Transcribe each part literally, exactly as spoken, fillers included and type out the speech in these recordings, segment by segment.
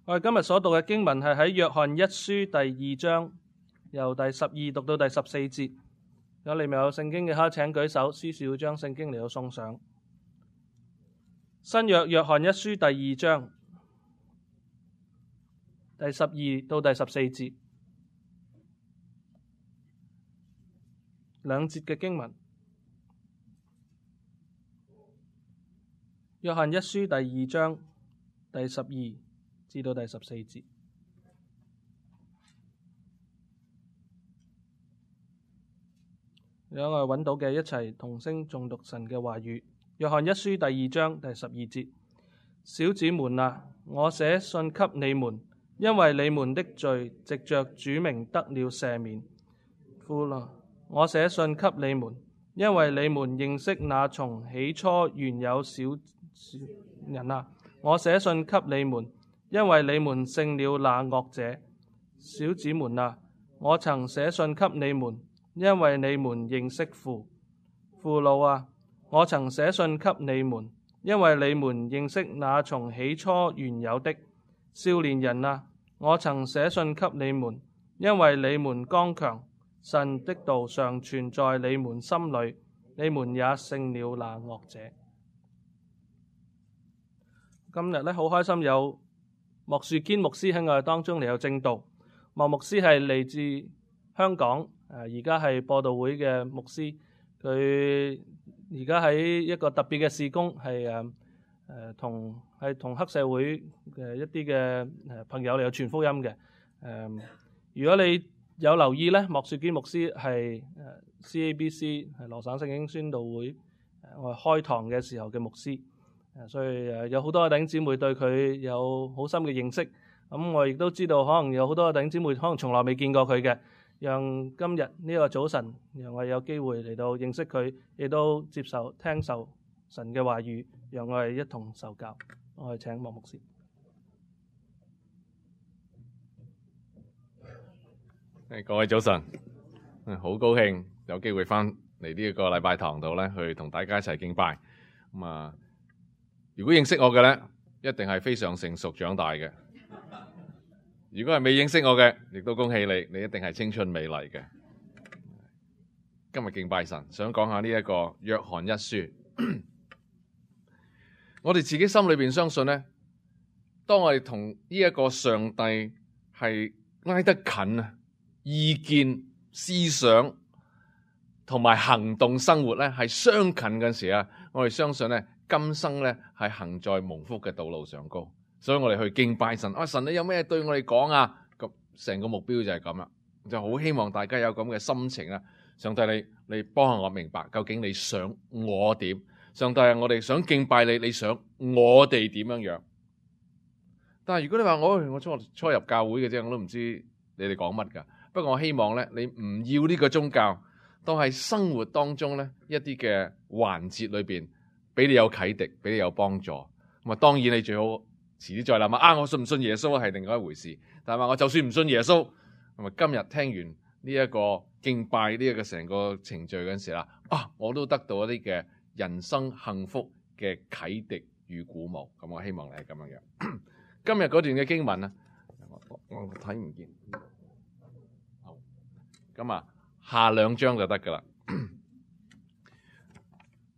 我哋今日所讀嘅經文係喺約翰一書第二章，由第十二讀到第十四節。如果你未有聖經嘅，可以請舉手，司事會將聖經嚟到送上。新約約翰一書第二章第十二到第十四節，兩節嘅經文。約翰一書第二章第十二至到第十四節。讓我哋揾到嘅一齊同聲誦讀神嘅話語。約翰一書第二章第十二節：小子們啊，我寫信給你們，因為你們的罪藉着主名得了赦免。父啊，我寫信給你們，因為你們認識那從起初原有小人啊。我寫信給你們，因為你們勝了那惡者。小子們啊，我曾寫信給你們，因為你們認識父。父老啊，我曾寫信給你們，因為你們認識那從起初原有的。少年人啊，我曾寫信給你們，因為你們剛強，神的道常存在你們心裏，你們也勝了那惡者。今日咧好開心有莫樹堅牧師喺我哋當中嚟有證道。莫牧師係嚟自香港，誒而家係播道會嘅牧師。佢而家喺一個特別嘅事工，係誒誒同係同黑社會嘅一啲嘅誒朋友嚟有傳福音嘅。誒、呃，如果你有留意咧，莫樹堅牧師係誒 C A B C 係羅省聖經宣道會誒我哋開堂嘅時候嘅牧師。所以誒有好多嘅弟兄姊妹對佢有好深嘅認識，咁我亦都知道可能有好多嘅弟兄姊妹可能從來未見過佢嘅，讓今日呢個早晨，讓我哋有機會嚟到認識佢，亦都接受聽受神嘅話語，讓我哋一同受教。我哋請莫牧師。誒，各位早晨，好高興有機會翻嚟呢一個禮拜堂度咧，去同大家一齊敬拜。咁啊〜如果認識我嘅咧，一定係非常成熟長大嘅。如果係未認識我嘅，亦都恭喜你，你一定係青春美麗嘅。今日敬拜神，想講下呢一個約翰一書。我哋自己心裏邊相信咧，當我哋同呢一個上帝係挨得近啊，意見、思想同埋行動、生活咧係相近嗰陣時啊，我哋相信咧。今生咧係行在蒙福嘅道路上高，所以我哋去敬拜神。啊，神你有咩對我哋講啊？咁成個目標就係咁啦，就好希望大家有咁嘅心情啊！上帝你你幫下我明白，究竟你想我點？上帝啊，我哋想敬拜你，你想我哋點樣樣？但係如果你話我我初初入教會嘅啫，我都唔知你哋講乜噶。不過我希望咧，你唔要呢個宗教，當係生活當中咧一啲嘅環節裏邊。俾你有啟迪，俾你有幫助。咁啊，當然你最好遲啲再諗下啊！我信唔信耶穌係另外一回事。但係話我就算唔信耶穌，咁啊，今日聽完呢一個敬拜呢一個成個程序嗰陣時啦，啊，我都得到一啲嘅人生幸福嘅啟迪與鼓舞。咁我希望你係咁樣樣。今日嗰段嘅經文啊，我我睇唔見。好，咁啊，下兩章就得噶啦。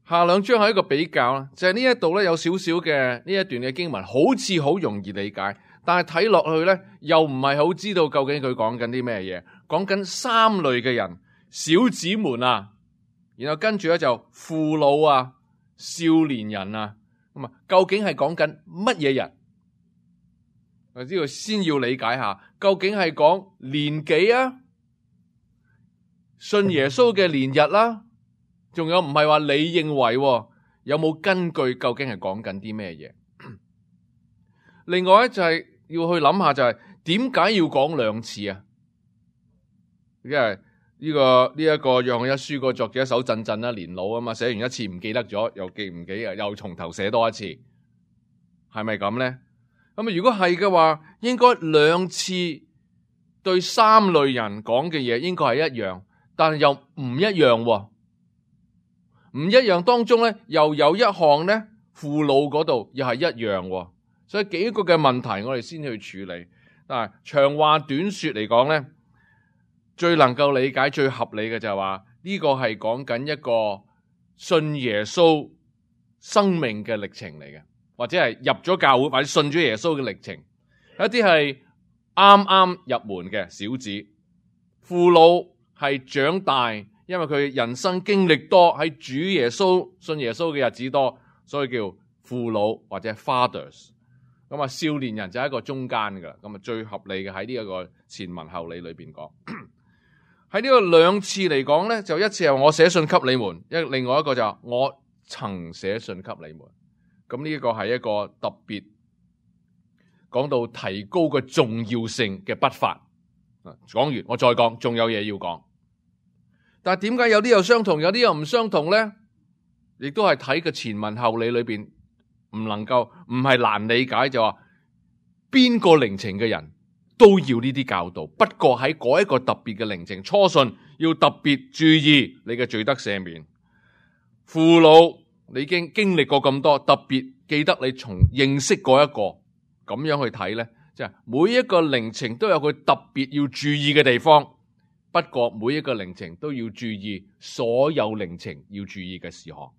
下兩章係一個比較啦，就係呢一度咧有少少嘅呢一段嘅經文，好似好容易理解，但係睇落去咧又唔係好知道究竟佢講緊啲咩嘢，講緊三類嘅人，小子們啊，然後跟住咧就父老啊、少年人啊，咁啊，究竟係講緊乜嘢人？我知道先要理解下，究竟係講年紀啊，信耶穌嘅年日啦、啊。仲有唔係話你認為有冇根據？究竟係講緊啲咩嘢？另外咧就係要去諗下，就係點解要講兩次啊？因為呢個呢一個約翰一書個作者手震震啦，年老啊嘛，寫完一次唔記得咗，又記唔記啊？又從頭寫多一次，係咪咁咧？咁啊，如果係嘅話，應該兩次對三類人講嘅嘢應該係一樣，但係又唔一樣喎。唔一樣當中咧，又有一項咧，父老嗰度又係一樣喎。所以幾個嘅問題我哋先去處理。但係長話短說嚟講咧，最能夠理解、最合理嘅就係話呢個係講緊一個信耶穌生命嘅歷程嚟嘅，或者係入咗教會或者信咗耶穌嘅歷程。一啲係啱啱入門嘅小子，父老係長大，因為佢人生經歷多，喺主耶穌信耶穌嘅日子多，所以叫父老或者 fathers。咁啊，少年人就係一個中間噶啦，咁啊最合理嘅喺呢一個前文後理裏邊講。喺呢個兩次嚟講咧，就一次係我寫信給你們，一另外一個就係我曾寫信給你們。咁呢一個係一個特別講到提高個重要性嘅筆法。講完我再講，仲有嘢要講。但係點解有啲又相同，有啲又唔相同咧？亦都係睇個前文後理裏邊唔能夠唔係難理解，就話邊個靈情嘅人都要呢啲教導。不過喺嗰一個特別嘅靈情初信，要特別注意你嘅罪得赦免。父老你已經經歷過咁多，特別記得你從認識過一個咁樣去睇咧，即係每一個靈情都有佢特別要注意嘅地方。不過每一個靈情都要注意所有靈情要注意嘅事項。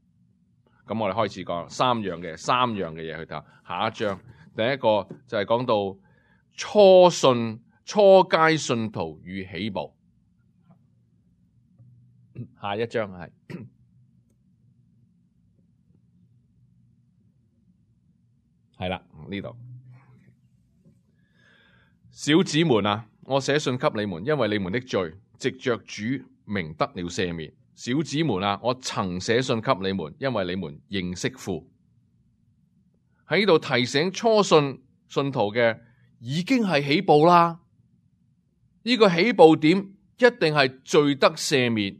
咁我哋開始講三樣嘅三樣嘅嘢去睇。下一章第一個就係講到初信初階信徒與起步。下一章係係啦，呢度小子們啊，我寫信給你們，因為你們的罪藉着主名得了赦免。小子們啊，我曾寫信給你們，因為你們認識父。喺呢度提醒初信信徒嘅已經係起步啦。呢個起步點一定係罪得赦免。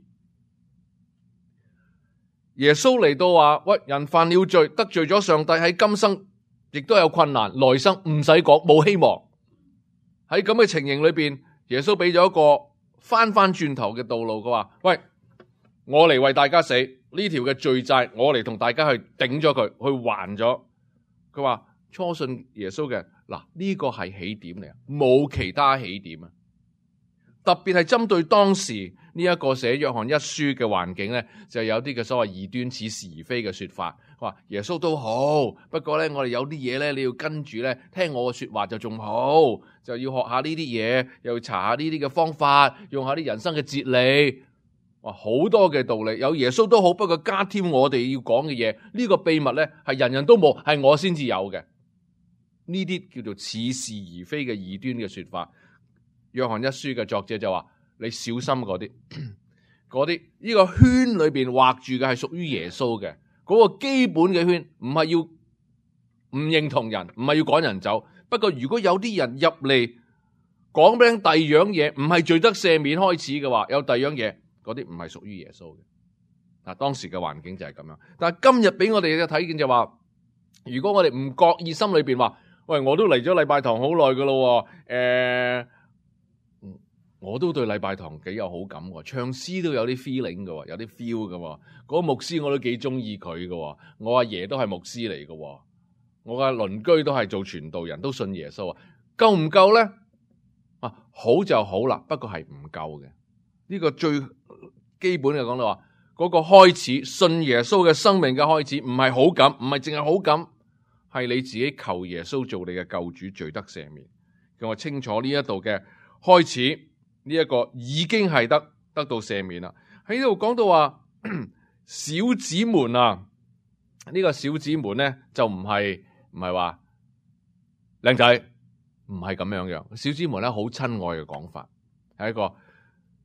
耶穌嚟到話：喂，人犯了罪，得罪咗上帝，喺今生亦都有困難，來生唔使講，冇希望。喺咁嘅情形裏邊，耶穌俾咗一個翻翻轉頭嘅道路。佢話：喂，我嚟為大家死，呢條嘅罪債，我嚟同大家去頂咗佢，去還咗。佢話初信耶穌嘅嗱，呢個係起點嚟，冇其他起點啊。特別係針對當時呢一個寫約翰一書嘅環境咧，就有啲嘅所謂異端似是而非嘅說法。話耶穌都好，不過咧我哋有啲嘢咧，你要跟住咧聽我嘅說話就仲好，就要學下呢啲嘢，又要查下呢啲嘅方法，用下啲人生嘅哲理。哇，好多嘅道理，有耶穌都好，不過加添我哋要講嘅嘢，呢個秘密咧係人人都冇，係我先至有嘅。呢啲叫做似是而非嘅異端嘅說法。約翰一書嘅作者就話：你小心嗰啲，嗰啲呢個圈裏邊畫住嘅係屬於耶穌嘅嗰個基本嘅圈，唔係要唔認同人，唔係要趕人走。不過如果有啲人入嚟講俾第二樣嘢，唔係罪得赦免開始嘅話，有第二樣嘢，嗰啲唔係屬於耶穌嘅。嗱，當時嘅環境就係咁樣。但係今日俾我哋嘅睇見就話，如果我哋唔覺意心裏邊話：喂，我都嚟咗禮拜堂好耐噶咯，誒、呃。我都對禮拜堂幾有好感喎，唱詩都有啲 feeling 嘅，有啲 feel 嘅。嗰個牧師我都幾中意佢嘅，我阿爺都係牧師嚟嘅，我嘅鄰居都係做傳道人，都信耶穌啊。夠唔夠咧？啊，好就好啦，不過係唔夠嘅。呢個最基本嘅講到話，嗰個開始信耶穌嘅生命嘅開始，唔係好感，唔係淨係好感，係你自己求耶穌做你嘅救主，罪得赦免。咁我清楚呢一度嘅開始。呢一個已經係得得到赦免啦。喺呢度講到話小子們啊，呢、這個小子們咧就唔係唔係話靚仔，唔係咁樣樣。小子們咧好親愛嘅講法，係一個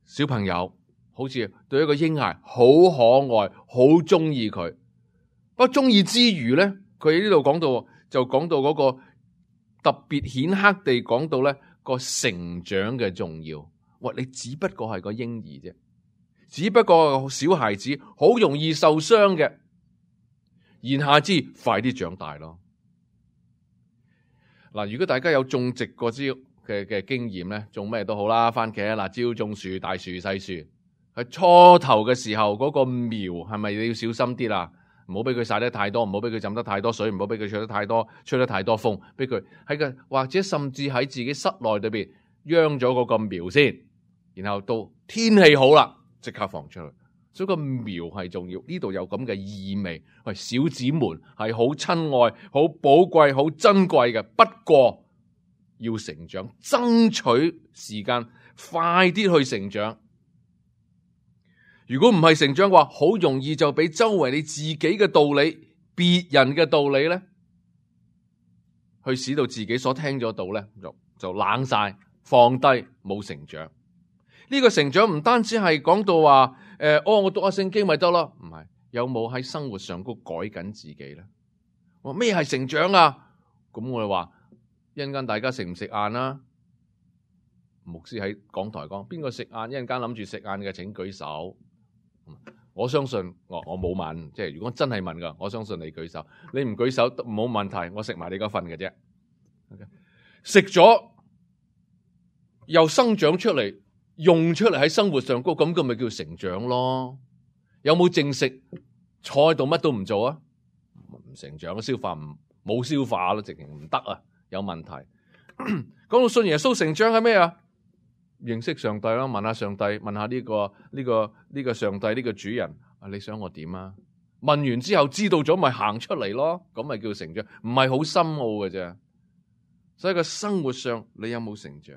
小朋友，好似對一個嬰孩好可愛，好中意佢。不過中意之餘咧，佢喺呢度講到就講到嗰個特別顯赫地講到咧個成長嘅重要。喂，你只不過係個嬰兒啫，只不過個小孩子好容易受傷嘅，言下之快啲長大咯。嗱，如果大家有種植過之嘅嘅經驗咧，種咩都好啦，番茄、辣椒、種樹、大樹、細樹，喺初頭嘅時候嗰個苗係咪你要小心啲啦？唔好俾佢曬得太多，唔好俾佢浸得太多水，唔好俾佢吹得太多，吹得太多風，俾佢喺個或者甚至喺自己室內裏邊秧咗嗰個苗先，然後到天氣好啦，即刻放出去。所以個苗係重要，呢度有咁嘅意味。喂，小子們係好親愛、好寶貴、好珍貴嘅，不過要成長，爭取時間，快啲去成長。如果唔係成長嘅話，好容易就俾周圍你自己嘅道理、別人嘅道理咧，去使到自己所聽咗道咧，就就冷晒，放低，冇成長。呢個成長唔單止係講到話，誒、呃，哦，我讀下聖經咪得咯，唔係，有冇喺生活上高改緊自己咧？我咩係成長啊？咁我哋話一陣間大家食唔食晏啦？牧師喺講台講，邊個食晏？一陣間諗住食晏嘅，請舉手。我相信我我冇問，即係如果真係問噶，我相信你舉手。你唔舉手冇問題，我食埋你嗰份嘅啫。食咗又生長出嚟。用出嚟喺生活上高，咁咁咪叫成長咯？有冇正食坐喺度乜都唔做啊？唔成長，消化唔冇消化咯，直情唔得啊，有問題。講到信耶穌成長係咩啊？認識上帝啦，問下上帝，問下呢個呢個呢個上帝呢個主人啊，你想我點啊？問完之後知道咗咪行出嚟咯，咁咪叫成長，唔係好深奧嘅啫。所以個生活上你有冇成長？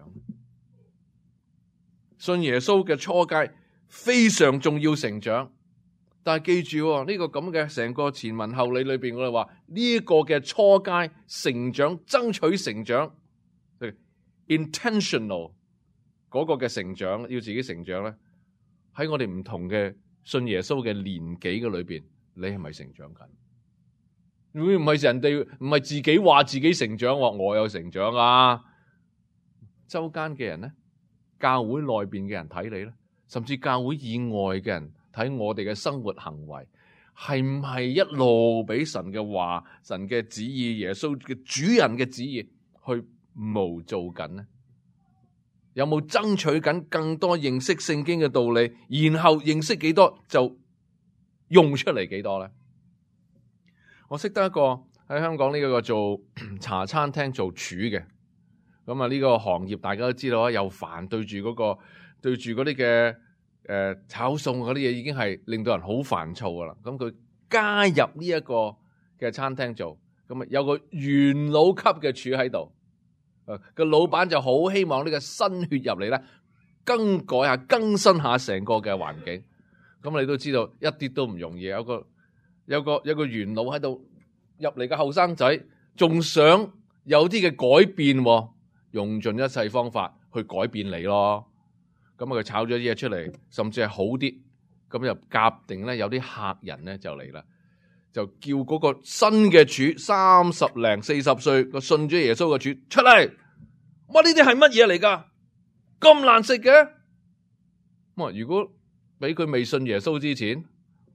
信耶穌嘅初階非常重要成長，但係記住呢個咁嘅成個前文後理裏邊，我哋話呢個嘅初階成長、爭取成長 intentional 嗰個嘅成長，要自己成長咧，喺我哋唔同嘅信耶穌嘅年紀嘅裏邊，你係咪成長緊？會唔係人哋唔係自己話自己成長，話我有成長啊？周間嘅人咧？教會內邊嘅人睇你咧，甚至教會以外嘅人睇我哋嘅生活行為，係唔係一路俾神嘅話、神嘅旨意、耶穌嘅主人嘅旨意去模造緊呢？有冇爭取緊更多認識聖經嘅道理，然後認識幾多就用出嚟幾多咧？我識得一個喺香港呢個做茶餐廳做廚嘅。咁啊，呢個行業大家都知道啊，又煩對住嗰個對住嗰啲嘅誒炒餸嗰啲嘢，已經係令到人好煩躁噶啦。咁佢加入呢一個嘅餐廳做，咁啊有個元老級嘅廚喺度，誒個老闆就好希望呢個新血入嚟咧，更改下更新下成個嘅環境。咁你都知道一啲都唔容易，有個有個有個元老喺度入嚟嘅後生仔，仲想有啲嘅改變喎。用盡一切方法去改變你咯，咁啊佢炒咗啲嘢出嚟，甚至係好啲，咁就夾定咧有啲客人咧就嚟啦，就叫嗰個新嘅廚三十零四十歲個信咗耶穌嘅廚出嚟，哇呢啲係乜嘢嚟噶？咁難食嘅？咁啊如果俾佢未信耶穌之前，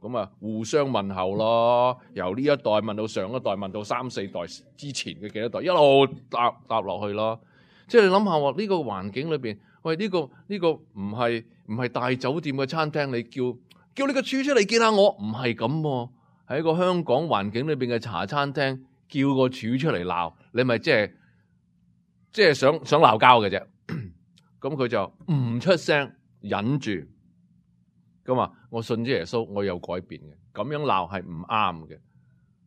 咁啊互相問候咯，由呢一代問到上一代，問到三四代之前嘅幾多代，一路搭搭落去咯。即係你諗下喎，呢個環境裏邊，喂呢個呢個唔係唔係大酒店嘅餐廳，你叫叫你個廚出嚟見下我，唔係咁喎，喺一個香港環境裏邊嘅茶餐廳，叫個廚出嚟鬧，你咪即係即係想想鬧交嘅啫。咁佢就唔出聲，忍住。咁啊，我信咗耶穌，我有改變嘅，咁樣鬧係唔啱嘅。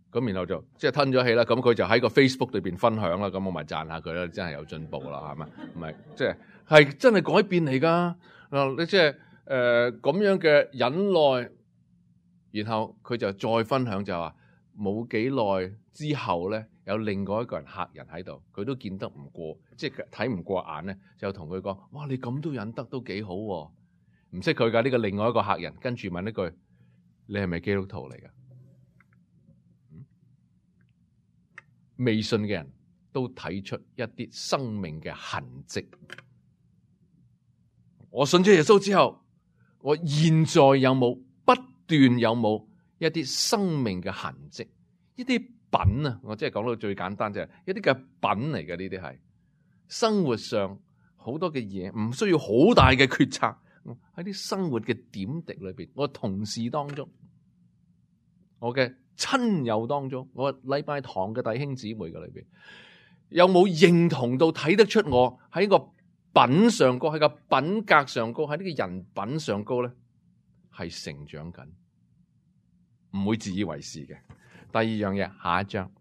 咁然後就即係吞咗氣啦，咁佢就喺個 Facebook 裏邊分享啦，咁我咪讚下佢啦，真係有進步啦，係咪？唔係即係係真係改變嚟噶。你即係誒咁樣嘅忍耐，然後佢就再分享就話冇幾耐之後咧，有另外一個人客人喺度，佢都見得唔過，即係睇唔過眼咧，就同佢講：哇，你咁都忍得都幾好喎！唔識佢噶呢個另外一個客人，跟住問一句：你係咪基督徒嚟噶？未信嘅人都睇出一啲生命嘅痕跡。我信咗耶穌之後，我現在有冇不斷有冇一啲生命嘅痕跡？一啲品啊，我即係講到最簡單就係一啲嘅品嚟嘅，呢啲係生活上好多嘅嘢，唔需要好大嘅決策，喺啲生活嘅點滴裏邊，我同事當中，我嘅親友當中，我禮拜堂嘅弟兄姊妹嘅裏邊，有冇認同到睇得出我喺個品上高，喺個品格上高，喺呢個人品上高咧，係成長緊，唔會自以為是嘅。第二樣嘢，下一章，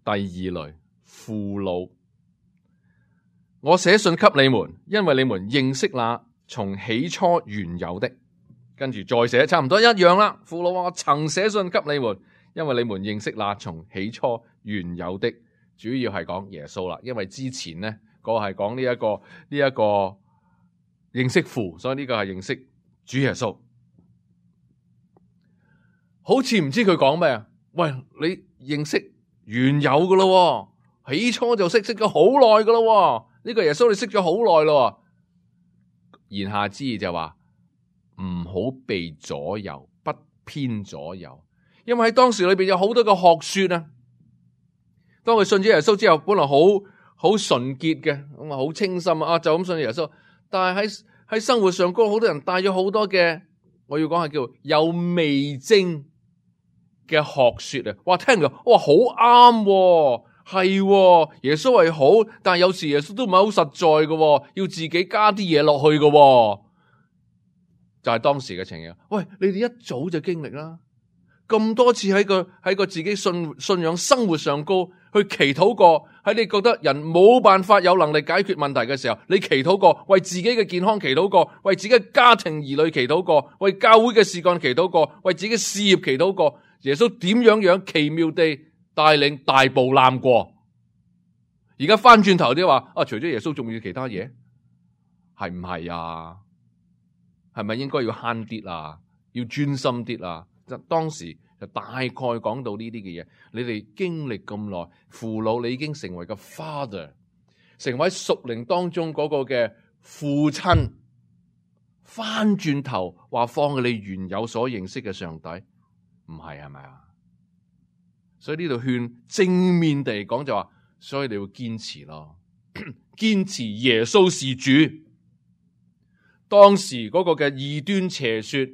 第二類父老，我寫信給你們，因為你們認識那從起初原有的。跟住再寫，差唔多一樣啦。父老，我曾寫信給你們，因為你們認識那從起初原有的。主要係講耶穌啦，因為之前呢個係講呢一個呢一個認識父，所以呢個係認識主耶穌。好似唔知佢講咩啊？喂，你認識原有噶咯，起初就識識咗好耐噶咯。呢個耶穌你識咗好耐咯。言下之意就話，唔好被左右，不偏左右，因為喺當時裏邊有好多嘅學說啊。當佢信咗耶穌之後，本來好好純潔嘅，咁啊好清心啊，就咁信耶穌。但係喺喺生活上高，好多人帶咗好多嘅，我要講係叫有味精嘅學說啊。哇，聽到哇好啱，係耶穌係好，但係有時耶穌都唔係好實在嘅，要自己加啲嘢落去嘅。就係當時嘅情形。喂，你哋一早就經歷啦，咁多次喺個喺個自己信信仰生活上高去祈禱過，喺你覺得人冇辦法有能力解決問題嘅時候，你祈禱過，為自己嘅健康祈禱過，為自己嘅家庭兒女祈禱過，為教會嘅事幹祈禱過，為自己嘅事業祈禱過，耶穌點樣樣奇妙地帶領大步攬過。而家翻轉頭啲話啊，除咗耶穌仲要其他嘢，係唔係啊？係咪應該要慳啲啊？要專心啲啊？就當時就大概講到呢啲嘅嘢。你哋經歷咁耐，父老你已經成為個 father， 成為屬靈當中嗰個嘅父親。翻轉頭話放你原有所認識嘅上帝，唔係係咪啊？所以呢度勸正面地講就話，所以你要堅持咯，堅持耶穌是主。當時嗰個嘅異端邪說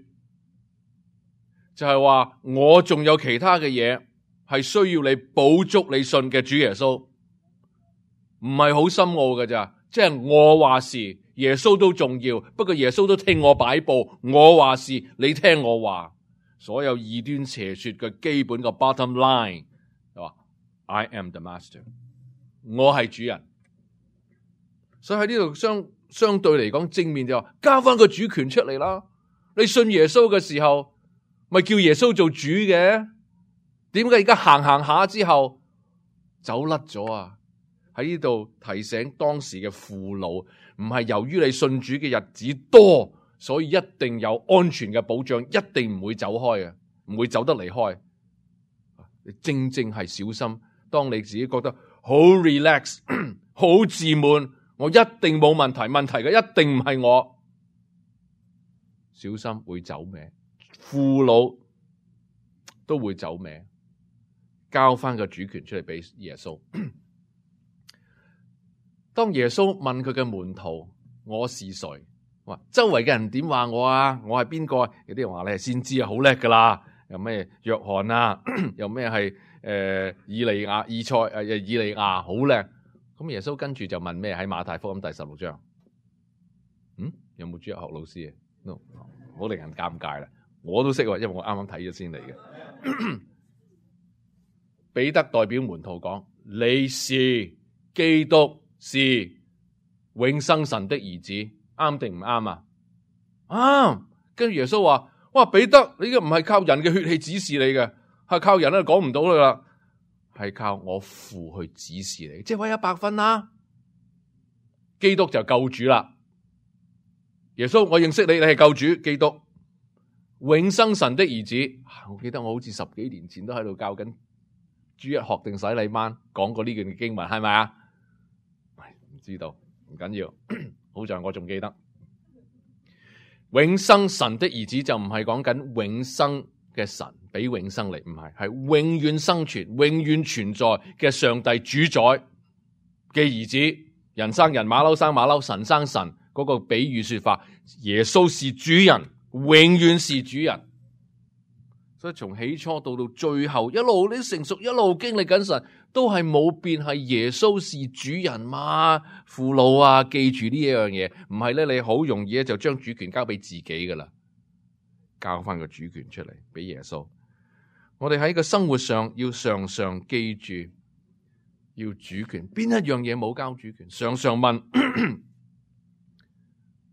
就係話，我仲有其他嘅嘢係需要你補足你信嘅主耶穌，唔係好深奧嘅咋，即係我話事，耶穌都重要，不過耶穌都聽我擺布，我話事，你聽我話。所有異端邪說嘅基本嘅 bottom line 係話 I am the master， 我係主人。所以喺呢度相相對嚟講正面就話交翻個主權出嚟啦。你信耶穌嘅時候，咪叫耶穌做主嘅？點解而家行行下之後走甩咗啊？喺呢度提醒當時嘅父老，唔係由於你信主嘅日子多，所以一定有安全嘅保障，一定唔會走開嘅，唔會走得離開。你正正係小心，當你自己覺得好 relax、好自滿，我一定冇問題，問題嘅一定唔係我，小心會走歪。父老都會走歪，交翻個主權出嚟俾耶穌。當耶穌問佢嘅門徒我是誰，話周圍嘅人點話我啊？我係邊個？有啲人話你係先知啊，好叻噶啦，有咩約翰啊，有咩係誒以利亞、以賽誒以利亞，好叻。咁耶穌跟住就問咩？喺馬太福音第十六章，嗯，有冇主日學老師啊？no， 好令人尷尬啦。我都識，因為我啱啱睇咗先嚟嘅。彼得代表門徒講：你是基督，是永生神的兒子，啱定唔啱啊？啱。跟住耶穌話：哇，彼得，你呢個唔係靠人嘅血氣指示你嘅，係靠人咧講唔到噶啦。係靠我父去指示你，即係話一百分啦。基督就救主啦。耶穌，我認識你，你係救主，基督，永生神的兒子。我記得我好似十幾年前都喺度教緊主日學定洗禮班，講過呢段經文，係咪啊？唔知道，唔緊要，好在我仲記得。永生神的兒子就唔係講緊永生嘅神俾永生嚟，唔係，係永遠生存、永遠存在嘅上帝主宰嘅兒子。人生人，馬騮生馬騮，神生神，嗰個比喻說法，耶穌是主人，永遠是主人。所以從起初到到最後，一路你成熟，一路經歷緊神，都係冇變，係耶穌是主人嘛，父老啊，記住呢一樣嘢，唔係咧，你好容易咧就將主權交俾自己噶啦，交翻個主權出嚟俾耶穌。我哋喺個生活上要常常記住，要主權，邊一樣嘢冇交主權？常常問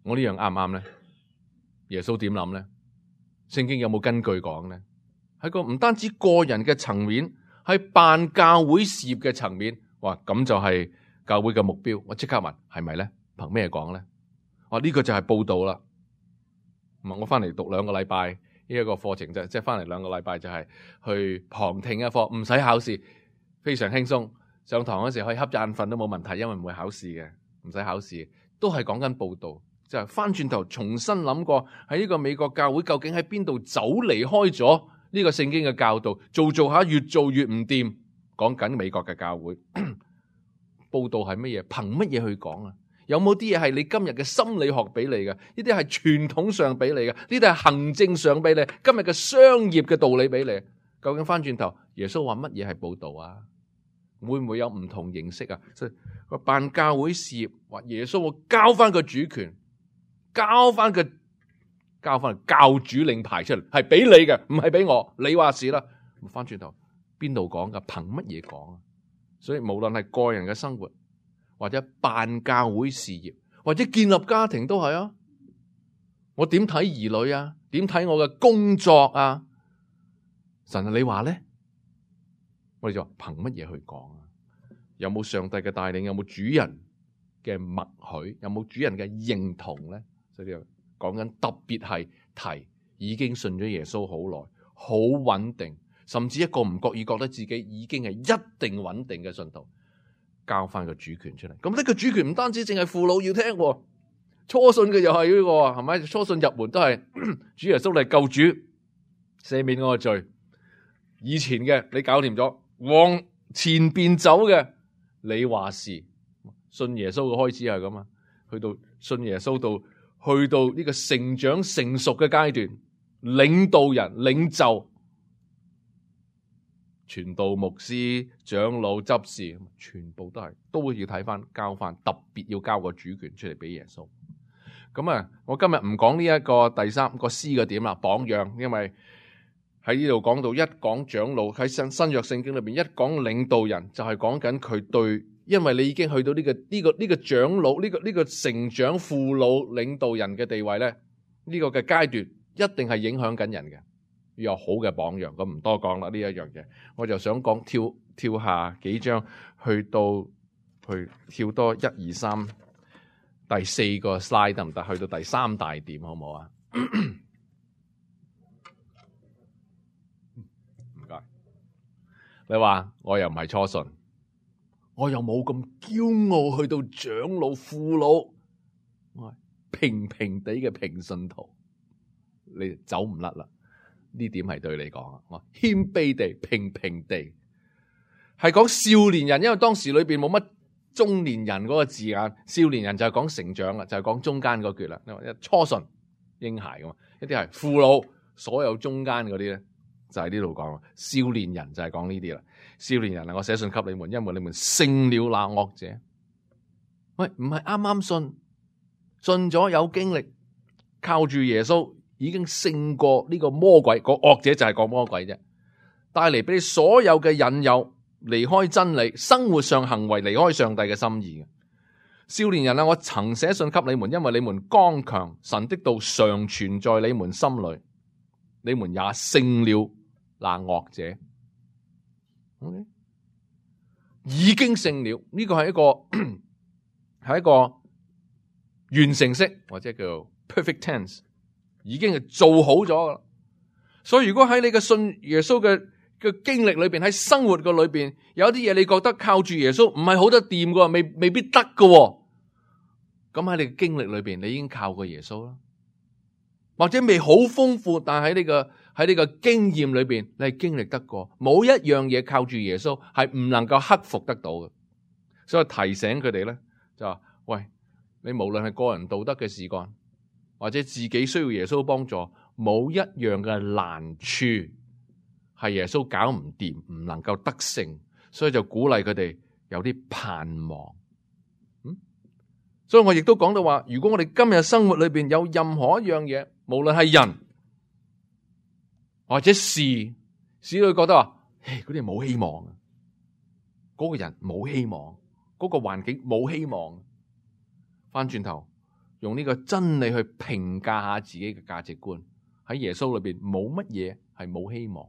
我呢樣啱唔啱咧？耶穌點諗咧？聖經有冇根據講咧？喺個唔單止個人嘅層面，喺辦教會事業嘅層面，哇，咁就係教會嘅目標。我即刻問，係咪咧？憑咩講咧？哇，呢個就係報道啦。唔係我翻嚟讀兩個禮拜呢一個課程，就即係翻嚟兩個禮拜就係去旁聽一課，唔使考試，非常輕鬆。上堂嗰時可以瞌眼瞓都冇問題，因為唔會考試嘅，唔使考試，都係講緊報道。就係翻轉頭重新諗過喺呢個美國教會究竟喺邊度走離開咗呢個聖經嘅教導，做做下越做越唔掂。講緊美國嘅教會報道係乜嘢？憑乜嘢去講啊？有冇啲嘢係你今日嘅心理學俾你嘅？呢啲係傳統上俾你嘅？呢啲係行政上俾你？今日嘅商業嘅道理俾你？究竟翻轉頭耶穌話乜嘢係報道啊？會唔會有唔同形式啊？所以個辦教會事業話耶穌會交翻個主權。交翻個交翻教主令牌出嚟，係俾你嘅，唔係俾我。你話事啦，翻轉頭邊度講噶？憑乜嘢講啊？所以無論係個人嘅生活，或者辦教會事業，或者建立家庭都係啊。我點睇兒女啊？點睇我嘅工作啊？神啊，你話咧？我哋就話憑乜嘢去講啊？有冇上帝嘅帶領？有冇主人嘅默許？有冇主人嘅認同咧？所以講緊特別係提已經信咗耶穌好耐，好穩定，甚至一個唔覺意覺得自己已經係一定穩定嘅信徒，交翻個主權出嚟。咁呢個主權唔單止淨係父老要聽，初信嘅又係呢個，係咪？初信入門都係主耶穌嚟救主，赦免我嘅罪。以前嘅你搞掂咗，往前邊走嘅你話事。信耶穌嘅開始係咁啊，去到信耶穌到。去到呢個成長成熟嘅階段，領導人、領袖、傳道牧師、長老、執事，全部都係都要睇翻交翻，特別要交個主權出嚟俾耶穌。咁啊，我今日唔講呢一個第三個 C 嘅點啦，榜樣，因為喺呢度講到一講長老喺新新約聖經裏邊一講領導人，就係講緊佢對。因為你已經去到呢、這個呢、這個呢、這個長老呢、這個呢、這個成長父老領導人嘅地位咧，呢、這個嘅階段一定係影響緊人嘅，要有好嘅榜樣。咁唔多講啦，呢一樣嘢，我就想講跳跳下幾章，去到去跳多一二三第四個 slide 得唔得？去到第三大點好唔好啊？唔該。你話我又唔係初信。我又冇咁驕傲，去到長老父老，我係平平地嘅平信徒，你走唔甩啦。呢點係對你講啊，我謙卑地、平平地，係講少年人，因為當時裏邊冇乜中年人嗰個字眼，少年人就係講成長啦，就係講中間嗰橛啦。初信嬰孩噶嘛，一啲係父老，所有中間嗰啲咧就係呢度講。少年人就係講呢啲啦。少年人啊，我寫信給你們，因為你們勝了那惡者。喂，唔係啱啱信，信咗有經歷，靠住耶穌已經勝過呢個魔鬼。個惡者就係個魔鬼啫，帶嚟俾你所有嘅引誘，離開真理，生活上行為離開上帝嘅心意嘅。少年人啊，我曾寫信給你們，因為你們剛強，神的道常存在你們心裏，你們也勝了那惡者。Okay. 已經勝了，呢個係一個係一個完成式或者叫 perfect tense， 已經係做好咗噶啦。所以如果喺你嘅信耶穌嘅嘅經歷裏邊，喺生活嘅裏邊，有啲嘢你覺得靠住耶穌唔係好得掂噶，未未必得噶。咁喺你嘅經歷裏邊，你已經靠過耶穌啦。或者未好豐富，但喺呢個喺呢個經驗裏邊，你係經歷得過。冇一樣嘢靠住耶穌係唔能夠克服得到嘅。所以提醒佢哋咧，就話：喂，你無論係個人道德嘅事幹，或者自己需要耶穌幫助，冇一樣嘅難處係耶穌搞唔掂，唔能夠得勝，所以就鼓勵佢哋有啲盼望。嗯，所以我亦都講到話，如果我哋今日生活裏邊有任何一樣嘢，無論係人或者事，使你覺得話，唉，嗰啲冇希望，嗰個人冇希望，嗰個環境冇希望，翻轉頭用呢個真理去評價下自己嘅價值觀，喺耶穌裏邊冇乜嘢係冇希望，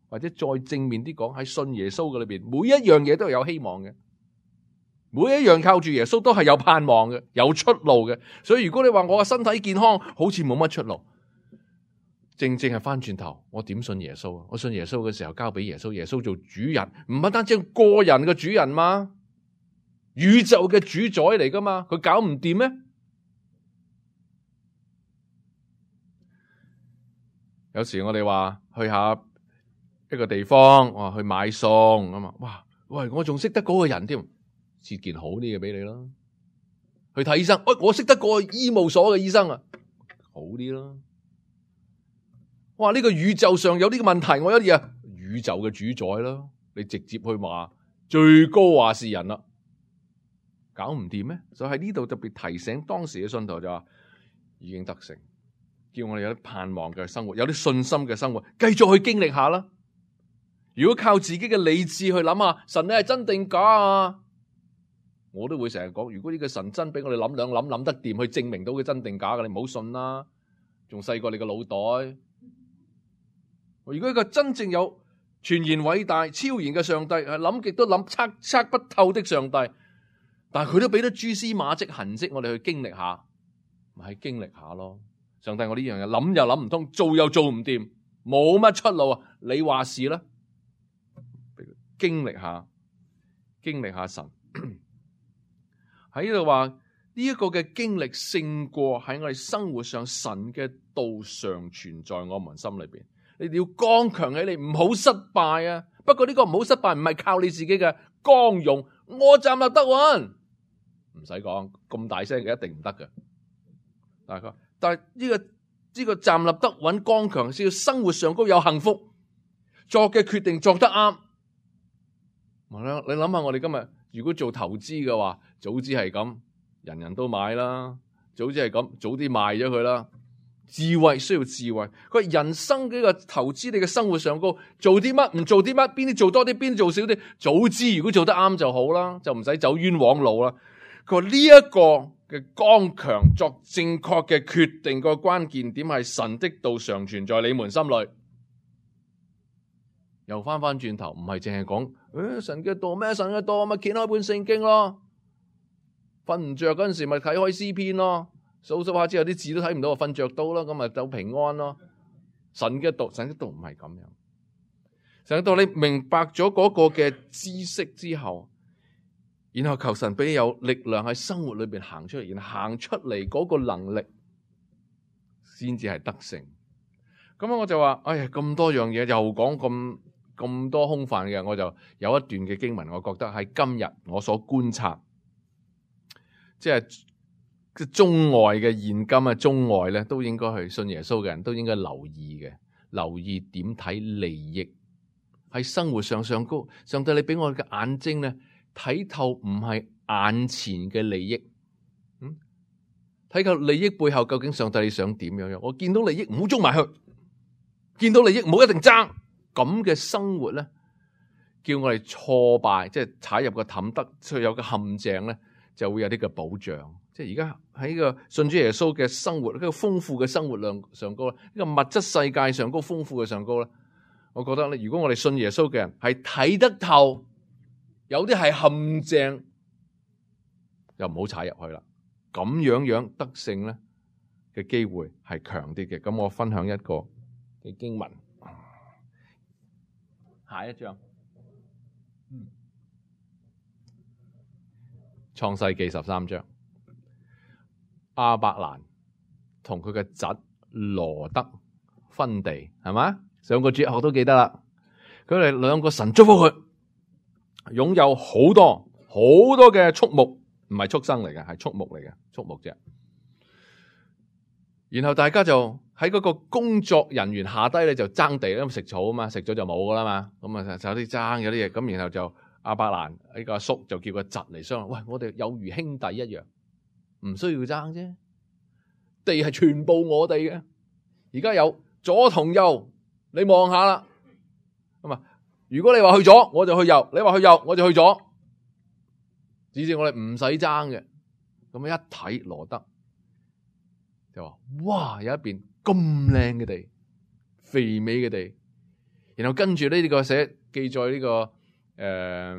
或者再正面啲講，喺信耶穌嘅裏邊，每一樣嘢都係有希望嘅，每一樣靠住耶穌都係有盼望嘅，有出路嘅。所以如果你話我嘅身體健康好似冇乜出路，正正係翻轉頭，我點信耶穌啊？我信耶穌嘅時候交俾耶穌，耶穌做主人，唔係單止個人嘅主人嘛，宇宙嘅主宰嚟噶嘛，佢搞唔掂咩？有時我哋話去下一個地方，我話去買餸咁啊，哇，喂，我仲識得嗰個人添，設件好啲嘅俾你啦。去睇醫生，喂，我識得個醫務所嘅醫生啊，好啲啦。哇，呢個宇宙上有呢個問題，我有啲啊，宇宙嘅主宰啦，你直接去話最高話事人啦，搞唔掂咩？所以喺呢度特別提醒當時嘅信徒就話，已經得勝，叫我哋有啲盼望嘅生活，有啲信心嘅生活，繼續去經歷下啦。如果靠自己嘅理智去諗下，神你係真定假啊？我都會成日講，如果呢個神真俾我哋諗兩諗諗得掂，去證明到佢真定假嘅，你唔好信啦，仲細過你個腦袋。如果一個真正有全然偉大超然嘅上帝，係諗極都諗測測不透的上帝，但係佢都俾咗蛛絲馬跡痕跡，我哋去經歷下，咪係經歷下咯。上帝，我呢樣嘢諗又諗唔通，做又做唔掂，冇乜出路啊！你話事啦，經歷下，經歷下神喺呢度話呢一個嘅經歷勝過喺我哋生活上神嘅道常存在我們心裏邊。你哋要剛強起嚟，唔好失敗啊！不過呢個唔好失敗，唔係靠你自己嘅剛勇，我站立得穩，唔使講咁大聲嘅，一定唔得嘅。大概，但係呢個呢個站立得穩、剛強，先要生活上高有幸福，作嘅決定作得啱。你諗下，我哋今日如果做投資嘅話，早知係咁，人人都買啦；早知係咁，早啲賣咗佢啦。智慧需要智慧，佢係人生嘅一個投資，你嘅生活上高做啲乜，唔做啲乜，邊啲做多啲，邊啲做少啲。早知如果做得啱就好啦，就唔使走冤枉路啦。佢話呢一個嘅剛強作正確嘅決定，個關鍵點係神的道常存在你們心裏。又翻翻轉頭，唔係淨係講誒神嘅道咩？神嘅道咪掀開本聖經咯，瞓唔着嗰陣時咪睇開詩篇咯。數數下之後啲字都睇唔到，我瞓着到啦，咁咪就平安咯。神嘅道，神嘅道唔係咁樣。神嘅道你明白咗嗰個嘅知識之後，然後求神俾你有力量喺生活裏邊行出嚟，然後行出嚟嗰個能力，先至係得勝。咁我就話，哎呀，咁多樣嘢又講咁咁多空泛嘅，我就有一段嘅經文，我覺得喺今日我所觀察，即係。中外嘅現今啊，中外咧都應該去信耶穌嘅人都應該留意嘅，留意點睇利益喺生活上上高。上帝你俾我嘅眼睛咧睇透，唔係眼前嘅利益，嗯，睇透利益背後究竟上帝你想點樣樣？我見到利益唔好捉埋去，見到利益唔好一定爭，咁嘅生活咧，叫我哋挫敗，即係踩入個氹得，所以有個陷阱咧，就會有啲嘅保障。即係而家喺個信主耶穌嘅生活，呢個豐富嘅生活量上高，呢個物質世界上高豐富嘅上高咧，我覺得咧，如果我哋信耶穌嘅人係睇得透，有啲係陷阱，又唔好踩入去啦。咁樣樣得勝咧嘅機會係強啲嘅。咁我分享一個嘅經文，下一章，嗯，創世記十三章。亞伯蘭同佢嘅侄羅德分地，係嘛？上個主日學都記得啦。佢哋兩個神祝福佢，擁有好多好多嘅畜牧，唔係畜生嚟嘅，係畜牧嚟嘅，畜牧啫。然後大家就喺嗰個工作人員下低咧就爭地，因為食草啊嘛，食咗就冇噶啦嘛。咁啊就有啲爭，有啲嘢咁，然後就亞伯蘭呢個阿叔就叫個侄嚟商量，喂，我哋有如兄弟一樣，唔需要爭啫。地係全部我哋嘅，而家有左同右，你望下啦。咁啊，如果你話去左，我就去右；你話去右，我就去左。只是我哋唔使爭嘅。咁一睇羅德就話：哇，有一邊咁靚嘅地，肥美嘅地。然後跟住呢個寫記載呢、這個誒、呃、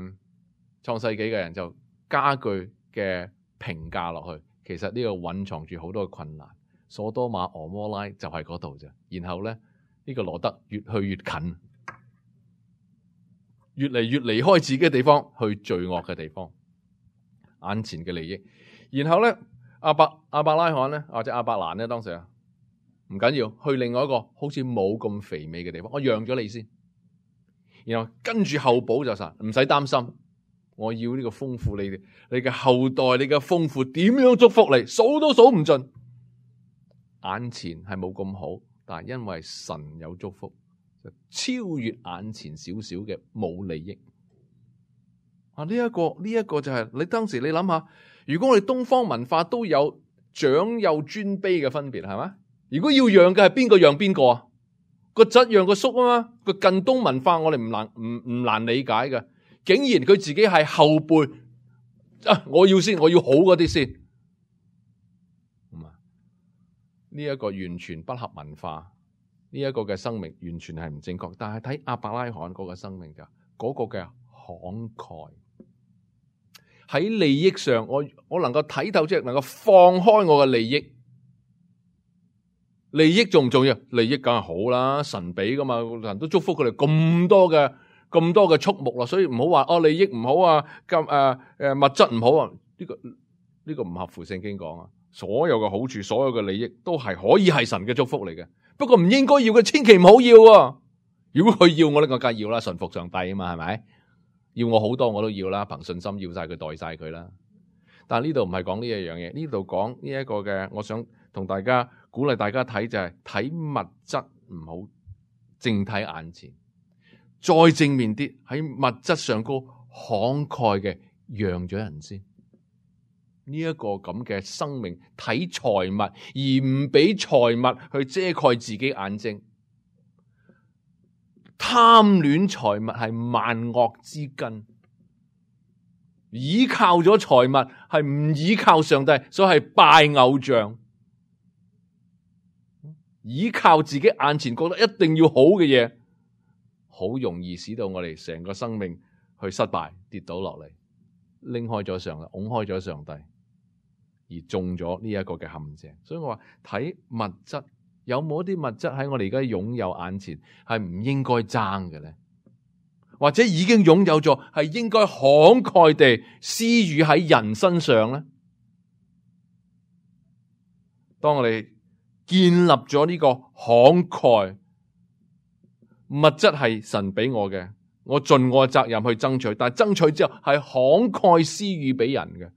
創世紀嘅人就加句嘅評價落去。其實呢個蘊藏住好多嘅困難，所多瑪俄摩拉就係嗰度啫。然後咧，呢、這個羅德越去越近，越嚟越離開自己嘅地方，去罪惡嘅地方，眼前嘅利益。然後咧，阿伯阿伯拉罕咧，或者阿伯蘭咧，當時啊，唔緊要，去另外一個好似冇咁肥美嘅地方，我讓咗你先。然後跟住後補就實，唔使擔心。我要呢個豐富你哋，你嘅後代，你嘅豐富點樣祝福你，數都數唔盡。眼前係冇咁好，但係因為神有祝福，就超越眼前少少嘅冇利益。啊，呢一個呢一個就係你當時你諗下，如果我哋東方文化都有長幼尊卑嘅分別，係嘛？如果要讓嘅係邊個讓邊個啊？個侄讓個叔啊嘛。個近東文化我哋唔難唔唔難理解嘅。竟然佢自己係後輩啊！我要先，我要好嗰啲先。咁啊，呢一個完全不合文化，呢一個嘅生命完全係唔正確。但係睇亞伯拉罕嗰個生命就嗰個嘅慷慨，喺利益上，我我能夠睇透，即係能夠放開我嘅利益。利益重唔重要？利益梗係好啦，神俾噶嘛，人都祝福佢哋咁多嘅。咁多嘅畜牧啦，所以唔好話哦利益唔好啊，咁誒誒物質唔好啊，呢個呢個唔合乎聖經講啊。所有嘅好處，所有嘅利益都係可以係神嘅祝福嚟嘅。不過唔應該要嘅，千祈唔好要啊！如果佢要我咧，我梗係要啦，順服上帝啊嘛，係咪？要我好多我都要啦，憑信心要晒佢，代晒佢啦。但係呢度唔係講呢一樣嘢，呢度講呢一個嘅，我想同大家鼓勵大家睇就係睇物質唔好，淨睇眼前。再正面啲，喺物質上高慷慨嘅讓咗人先，呢、這、一個咁嘅生命睇財物而唔俾財物去遮蓋自己眼睛，貪戀財物係萬惡之根，依靠咗財物係唔依靠上帝，所以係拜偶像，依靠自己眼前覺得一定要好嘅嘢。好容易使到我哋成個生命去失敗，跌倒落嚟，拎開咗上帝，拱開咗上帝，而中咗呢一個嘅陷阱。所以我話睇物質，有冇一啲物質喺我哋而家擁有眼前係唔應該爭嘅咧？或者已經擁有咗，係應該慷慨地施予喺人身上咧？當我哋建立咗呢個慷慨。物質係神俾我嘅，我盡我嘅責任去爭取，但係爭取之後係慷慨施予俾人嘅，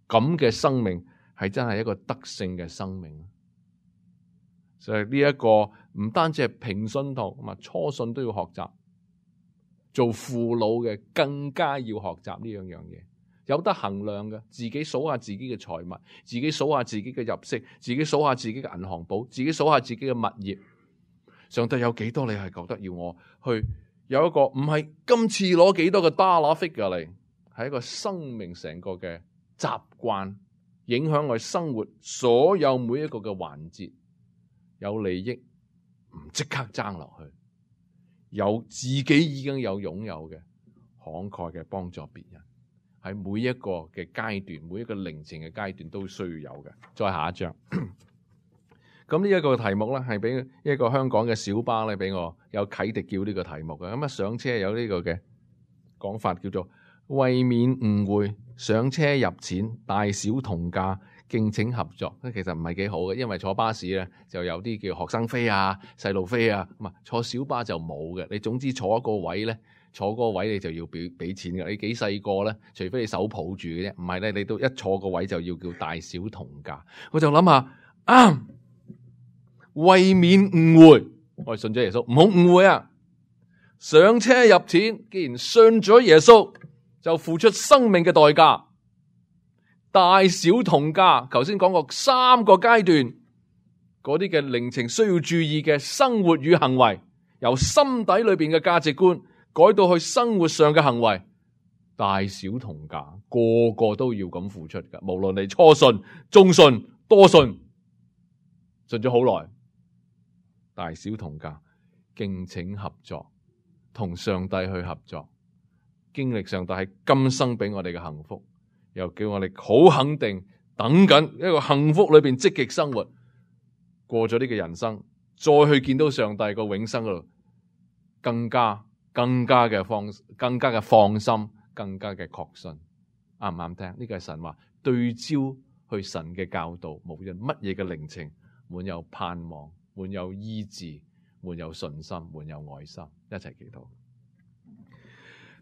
咁嘅生命係真係一個得勝嘅生命。所以呢一個唔單止係平信徒，咁啊初信都要學習，做父老嘅更加要學習呢樣樣嘢，有得衡量嘅，自己數下自己嘅財物，自己數下自己嘅入息，自己數下自己嘅銀行簿，自己數下自己嘅物業。上帝有幾多？你係覺得要我去有一個唔係今次攞幾多個 dollar figure 嚟，係一個生命成個嘅習慣，影響我生活所有每一個嘅環節。有利益唔即刻爭落去，有自己已經有擁有嘅慷慨嘅幫助別人，喺每一個嘅階段，每一個靈程嘅階段都需要有嘅。再下一章。咁呢一個題目咧，係俾一個香港嘅小巴咧，俾我有啟迪叫呢個題目嘅。咁啊上車有呢個嘅講法，叫做為免誤會，上車入錢，大小同價，敬請合作。其實唔係幾好嘅，因為坐巴士咧就有啲叫學生飛啊、細路飛啊，咁啊坐小巴就冇嘅。你總之坐一個位咧，坐嗰個位你就要俾俾錢嘅。你幾細個咧，除非你手抱住嘅啫，唔係咧你都一坐個位就要叫大小同價。我就諗下啊。為免誤會，我哋信咗耶穌，唔好誤會啊！上車入田，既然信咗耶穌，就付出生命嘅代價，大小同價。頭先講過三個階段，嗰啲嘅靈情需要注意嘅生活與行為，由心底裏邊嘅價值觀改到去生活上嘅行為，大小同價，個個都要咁付出噶。無論你初信、中信、多信，信咗好耐，大小同價，敬請合作，同上帝去合作，經歷上帝係今生俾我哋嘅幸福，又叫我哋好肯定等緊一個幸福裏邊積極生活，過咗呢個人生，再去見到上帝個永生嗰度，更加更加嘅放更加嘅放心，更加嘅確信，啱唔啱聽？呢個係神話，對焦去神嘅教導，無論乜嘢嘅靈情，滿有盼望，滿有醫治，滿有信心，滿有愛心，一齊祈禱。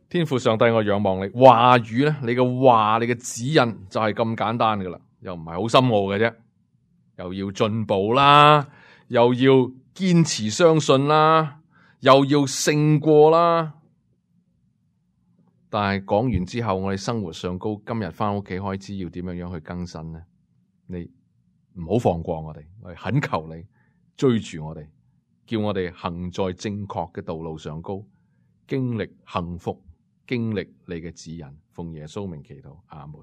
天父上帝，我仰望你話語咧，你嘅話，你嘅指引就係咁簡單噶啦，又唔係好深奧嘅啫，又要進步啦，又要堅持相信啦，又要勝過啦。但係講完之後，我哋生活上高，今日翻屋企開始要點樣樣去更新呢？你唔好放過我哋，我哋懇求你追住我哋，叫我哋行在正確嘅道路上高，經歷幸福，經歷你嘅指引。奉耶穌名祈禱，阿門。